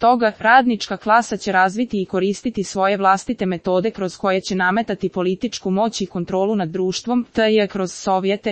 toga, radnička klasa će razviti i koristiti svoje vlastite metode kroz koje će nametati političku moć i kontrolu nad društvom, t.j. kroz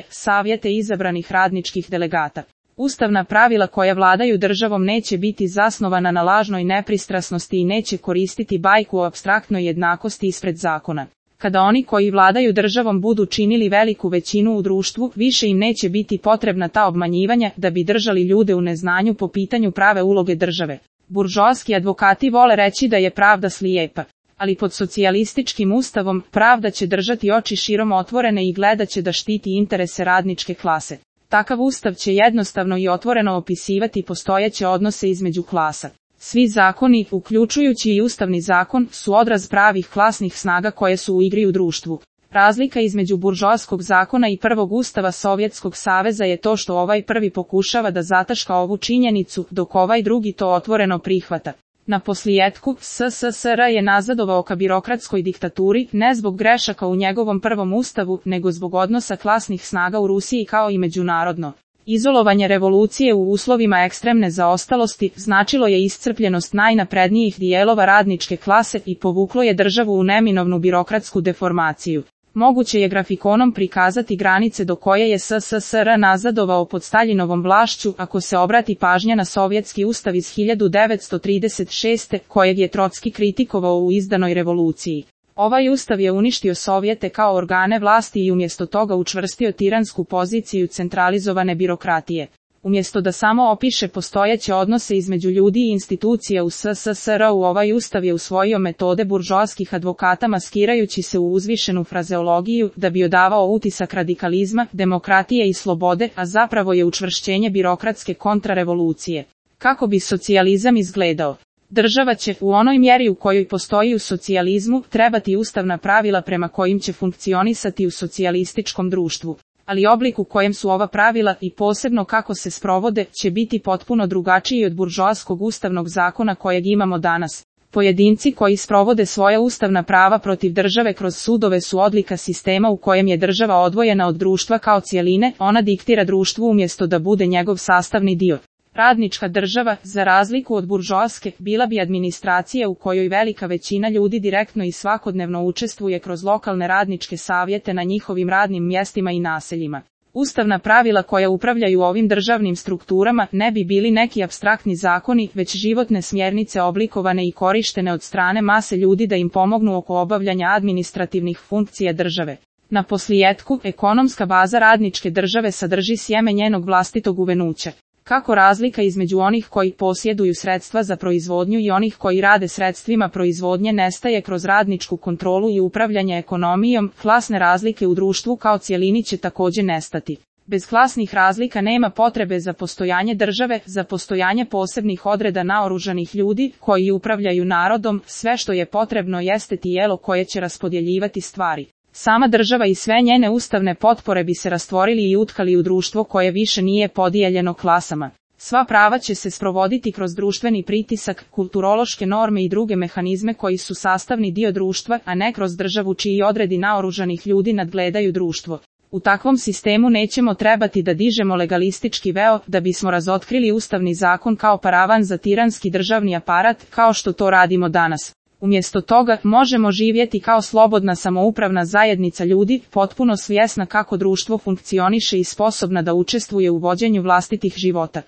savjete izabranih radničkih delegata. Ustavna pravila koja vladaju državom neće biti zasnovana na lažnoj nepristrasnosti i neće koristiti bajku o apstraktnoj jednakosti ispred zakona. Kada oni koji vladaju državom budu činili veliku većinu u društvu, više im neće biti potrebna ta obmanjivanja da bi držali ljude u neznanju po pitanju prave uloge države. Buržoaski advokati vole reći da je pravda slijepa, ali pod socijalističkim ustavom pravda će držati oči širom otvorene i gledat će da štiti interese radničke klase. Takav ustav će jednostavno i otvoreno opisivati postojeće odnose između klasa. Svi zakoni, uključujući i ustavni zakon, su odraz pravih klasnih snaga koje su u igri u društvu. Razlika između buržoaskog zakona i prvog ustava Sovjetskog saveza je to što ovaj prvi pokušava da zataška ovu činjenicu, dok ovaj drugi to otvoreno prihvata. Na posljetku, SSSR je nazadovao ka birokratskoj diktaturi, ne zbog grešaka u njegovom prvom ustavu, nego zbog odnosa klasnih snaga u Rusiji kao i međunarodno. Izolovanje revolucije u uslovima ekstremne zaostalosti značilo je iscrpljenost najnaprednijih dijelova radničke klase i povuklo je državu u neminovnu birokratsku deformaciju. Moguće je grafikonom prikazati granice do koje je SSSR nazadovao pod Staljinovom vlašću ako se obrati pažnja na sovjetski ustav iz 1936. kojeg je Trotski kritikovao u izdanoj revoluciji. Ovaj ustav je uništio Sovjete kao organe vlasti i umjesto toga učvrstio tiransku poziciju centralizovane birokratije. Umjesto da samo opiše postojeće odnose između ljudi i institucija u SSSR-u, ovaj ustav je usvojio metode buržoaskih advokata maskirajući se u uzvišenu frazeologiju da bi odavao utisak radikalizma, demokratije i slobode, a zapravo je učvršćenje birokratske kontrarevolucije. Kako bi socijalizam izgledao? Država će, u onoj mjeri u kojoj postoji u socijalizmu, trebati ustavna pravila prema kojim će funkcionisati u socijalističkom društvu. Ali oblik u kojem su ova pravila i posebno kako se sprovode će biti potpuno drugačiji od buržoaskog ustavnog zakona kojeg imamo danas. Pojedinci koji sprovode svoja ustavna prava protiv države kroz sudove su odlika sistema u kojem je država odvojena od društva kao cjeline, ona diktira društvu umjesto da bude njegov sastavni dio. Radnička država, za razliku od buržoaske, bila bi administracija u kojoj velika većina ljudi direktno i svakodnevno učestvuje kroz lokalne radničke savjete na njihovim radnim mjestima i naseljima. Ustavna pravila koja upravljaju ovim državnim strukturama ne bi bili neki apstraktni zakoni, već životne smjernice oblikovane i korištene od strane mase ljudi da im pomognu oko obavljanja administrativnih funkcija države. Na posljetku, ekonomska baza radničke države sadrži sjeme njenog vlastitog uvenuća. Kako razlika između onih koji posjeduju sredstva za proizvodnju i onih koji rade sredstvima proizvodnje nestaje kroz radničku kontrolu i upravljanje ekonomijom, klasne razlike u društvu kao cjelini će također nestati. Bez klasnih razlika nema potrebe za postojanje države, za postojanje posebnih odreda naoružanih ljudi koji upravljaju narodom, sve što je potrebno jeste tijelo koje će raspodjeljivati stvari. Sama država i sve njene ustavne potpore bi se rastvorili i utkali u društvo koje više nije podijeljeno klasama. Sva prava će se sprovoditi kroz društveni pritisak, kulturološke norme i druge mehanizme koji su sastavni dio društva, a ne kroz državu čiji odredi naoružanih ljudi nadgledaju društvo. U takvom sistemu nećemo trebati da dižemo legalistički veo da bismo razotkrili ustavni zakon kao paravan za tiranski državni aparat, kao što to radimo danas. Umjesto toga, možemo živjeti kao slobodna samoupravna zajednica ljudi, potpuno svjesna kako društvo funkcioniše i sposobna da učestvuje u vođenju vlastitih života.